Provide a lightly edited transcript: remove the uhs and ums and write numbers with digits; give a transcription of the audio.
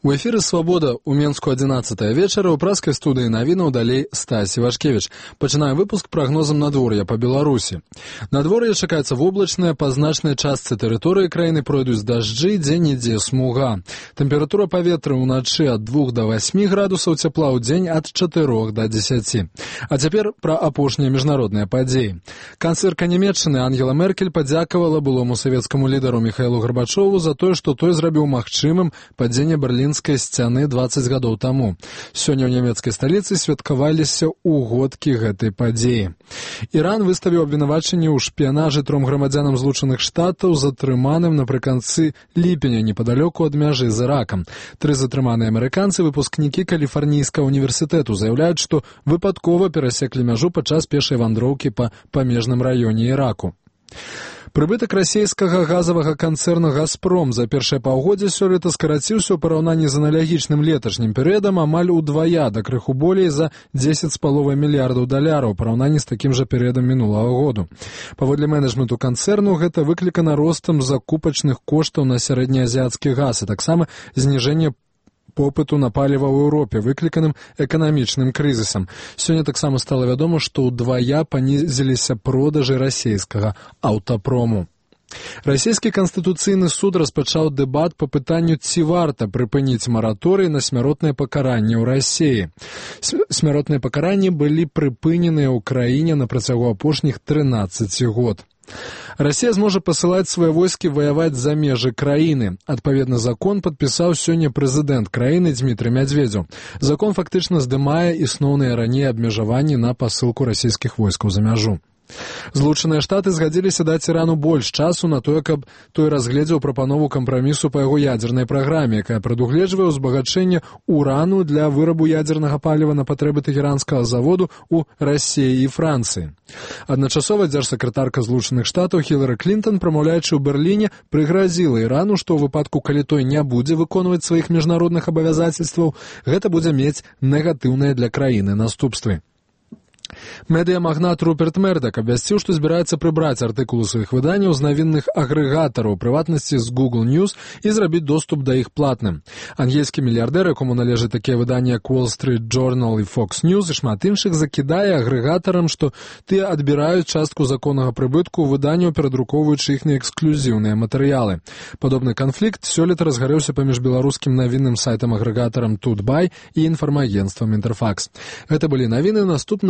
У эфіры «Свабода» у Менску 11 вечара, у праскай студыі навінаў далей Стась Івашкевіч. Пачынаем выпуск прагнозам надвор'я па Беларусі. Надвор'е чакаецца воблачнае, па значнай частцы тэрыторыі краіны пройдуць дажджы, дзе-нідзе смуга. Тэмпература паветра ўначы ад 2 до 8 градусаў цяпла, ў дзень ад 4 до 10. А цяпер пра апошнія міжнародныя падзеі. Канцлерка Нямецчыны Ангела Меркель падзякавала былому савецкаму лідару Міхаілу Гарбачову за тое, што той зрабіў магчымым падзенне берлінскай сцяны 20 гадоў таму. Сёння ў нямецкай сталіцы святкаваліся ўгодкі гэтай падзеі. Іран выставіў абвінавачанне ў шпіянажы 3 грамадзянам Злучаных Штатаў, затрыманым напрыканцы ліпеня непадалёку ад мяжы з Іракам. 3 затрыманыя амерыканцы, выпускнікі Каліфарнійскага універсітэту, заяўляюць, што выпадкова перасеклі мяжу падчас пешай вандроўкі па памежным раёне Іраку. Прыбытак расійскага газавага канцэрна «Газпром» за першае паўгоддзе сёлета скараціўся ў параўнанні з аналагічным леташнім перыядам амаль удвая, да крыху болей за 10,5 мільярдаў даляраў у параўнанні з такім жа перыядам мінулага году. Паводле менеджменту канцэрну гэта выклікана ростам закупачных коштаў на сярэднеазіяцкі газ, а таксама зніжэнне попыту на паліва ў Еўропе, выкліканым эканамічным крызісам. Сёння таксама стала вядома, што ўдвая панізіліся продажы расійскага аўтапрому. Расійскі канстытуцыйны суд распачаў дэбат па пытанню, ці варта прыпыніць мараторый на смяротнае пакаранне ў Расіі. Смяротныя пакаранні былі прыпыненыя ў краіне на працягу апошніх 13 год. Расія зможа пасылаць свае войскі ваяваць за межы краіны. Адпаведны закон падпісаў сёння прэзідэнт краіны Дзмітрый Мядзведзеў. Закон фактычна здымае існоўныя раней абмежаванні на пасылку расійскіх войскаў за мяжу. Злучаныя Штаты згадзіліся даць Ірану больш часу на тое, каб той разгледзеў прапанову кампрамісу па яго ядзернай праграме, якая прадугледжвае ўзбагачэнне урану для вырабу ядзернага паліва на патрэбы тэхеранскага заводу ў Расіі і Францыі. Адначасова дзяржсакратарка Злучаных Штатаў Хілары Клінтон, прамаўляючы ў Берліне, прыгразіла Ірану, што ў выпадку, калі той не будзе выконваць сваіх міжнародных абавязацельстваў, гэта будзе мець негатыўныя для краіны наступствы. Медыямагнат Руперт Мердак абвясціў, што збіраецца прыбраць артыкулы сваіх выданняў з навінных агрэгатараў, у прыватнасці з Google News, і зрабіць доступ да іх платным. Ангельскі мільярдэр, якому належаць такія выданні, як Wall Street Journal і Fox News і шмат іншых, закідае агрэгатарам, што тыя адбіраюць частку законнага прыбытку ў выданняў, перадрукоўваючы іхныя эксклюзіўныя матэрыялы. Падобны канфлікт сёлета разгарэўся паміж беларускім навінным сайтам-агрэгатарам Тутбай і інфармагенцтвам Інтэрфакс. Гэта былі навіны, наступна